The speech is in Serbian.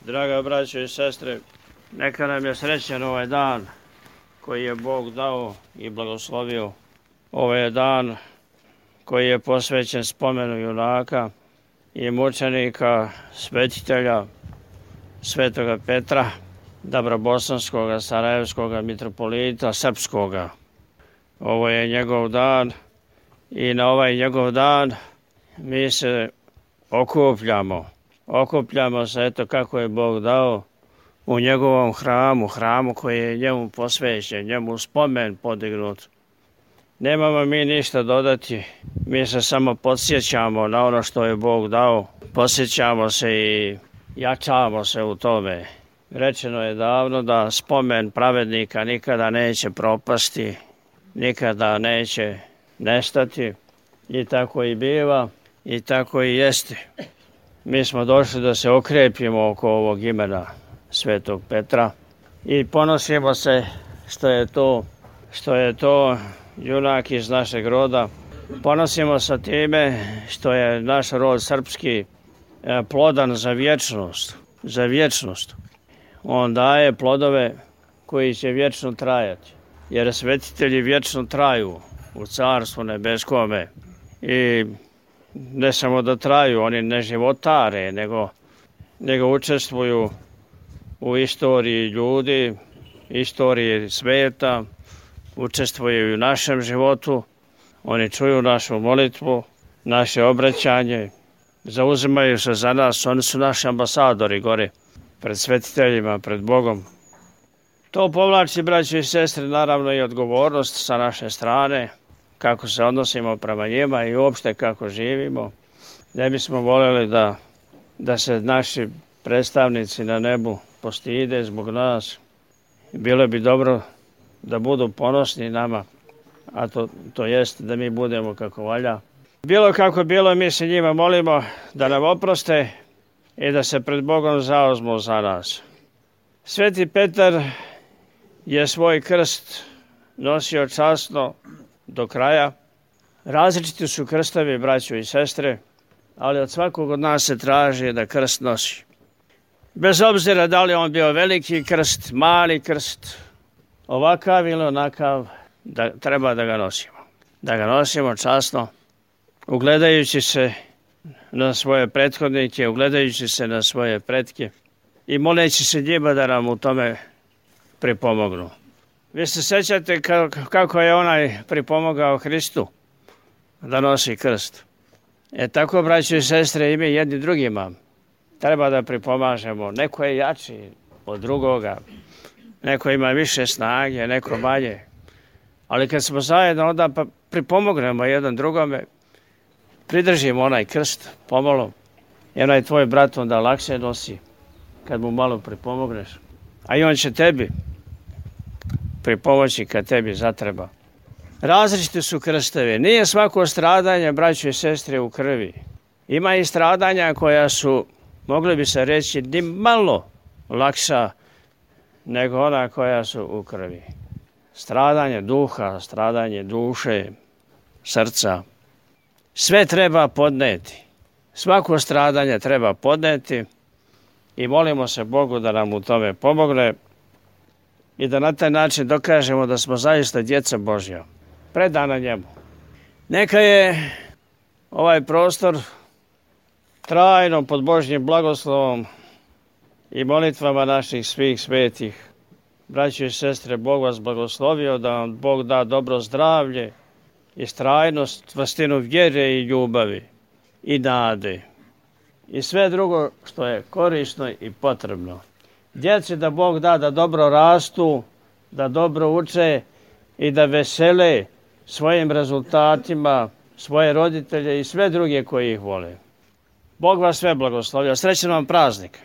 Draga braćo i sestre, neka nam je srećan ovaj dan koji je Bog dao i blagoslovio. Ovo je dan koji je posvećen spomenu junaka i mučenika, svetitelja Svetoga Petra, Dabrobosanskoga, Sarajevskoga, mitropolita Srpskoga. Ovo je njegov dan i na ovaj njegov dan mi se okupljamo. Okupljamo se, eto kako je Bog dao, u njegovom hramu koji je njemu posvećen, njemu spomen podignut. Nemamo mi ništa dodati, mi se samo podsjećamo na ono što je Bog dao, podsjećamo se i jačamo se u tome. Rečeno je davno da spomen pravednika nikada neće propasti, nikada neće nestati, i tako i biva i tako i jeste. Mi smo došli da se okrepimo oko ovog imena Svetog Petra i ponosimo se što je to junak iz našeg roda. Ponosimo se time što je naš rod srpski plodan za vječnost. On daje plodove koji će vječno trajati, jer svetitelji vječno traju u Carstvu nebeskome i ne samo da traju, oni ne životare, nego učestvuju u istoriji ljudi, istoriji sveta, učestvuju i u našem životu, oni čuju našu molitvu, naše obraćanje, zauzimaju se za nas, oni su naši ambasadori gore, pred svetiteljima, pred Bogom. To povlači, braćo i sestre, naravno i odgovornost sa naše strane, kako se odnosimo prema njima i uopšte kako živimo. Ne bismo voljeli da se naši predstavnici na nebu postide zbog nas. Bilo bi dobro da budu ponosni nama, a to jest da mi budemo kako valja. Bilo kako bilo, mi se njima molimo da nam oproste i da se pred Bogom zauzmu za nas. Sveti Petar je svoj krst nosio časno do kraja. Različiti su krstovi, braćo i sestre, ali od svakog od nas se traži da krst nosi. Bez obzira da li on bio veliki krst, mali krst, ovakav ili onakav, treba da ga nosimo. Da ga nosimo časno, ugledajući se na svoje prethodnike, ugledajući se na svoje pretke i moleći se njima da nam u tome pripomognu. Vi se sećate kako je onaj pripomogao Hristu da nosi krst. Tako, braćo i sestre, i mi jedni drugima treba da pripomažemo. Neko je jači od drugoga, neko ima više snage, neko manje. Ali kad smo zajedno, onda pripomognemo jedan drugome, pridržimo onaj krst pomalo, i onaj tvoj brat onda lakše nosi kad mu malo pripomogneš. A i on će tebi pripomoći kad tebi zatreba. Različiti su krstovi. Nije svako stradanje, braćo i sestre, u krvi. Ima i stradanja koja su, mogli bi se reći, ni malo lakša nego ona koja su u krvi. Stradanje duha, stradanje duše, srca. Sve treba podneti. Svako stradanje treba podneti i molimo se Bogu da nam u tome pomogne i da na taj način dokažemo da smo zaista djeca Božja, predana njemu. Neka je ovaj prostor trajno pod Božjim blagoslovom i molitvama naših svih svetih. Braćo i sestre, Bog vas blagoslovio, da vam Bog da dobro zdravlje i strajnost, čvrstinu vjere i ljubavi i nade i sve drugo što je korisno i potrebno. Djeci da Bog da da dobro rastu, da dobro uče i da vesele svojim rezultatima svoje roditelje i sve druge koji ih vole. Bog vas sve blagoslovio. Srećan vam praznik!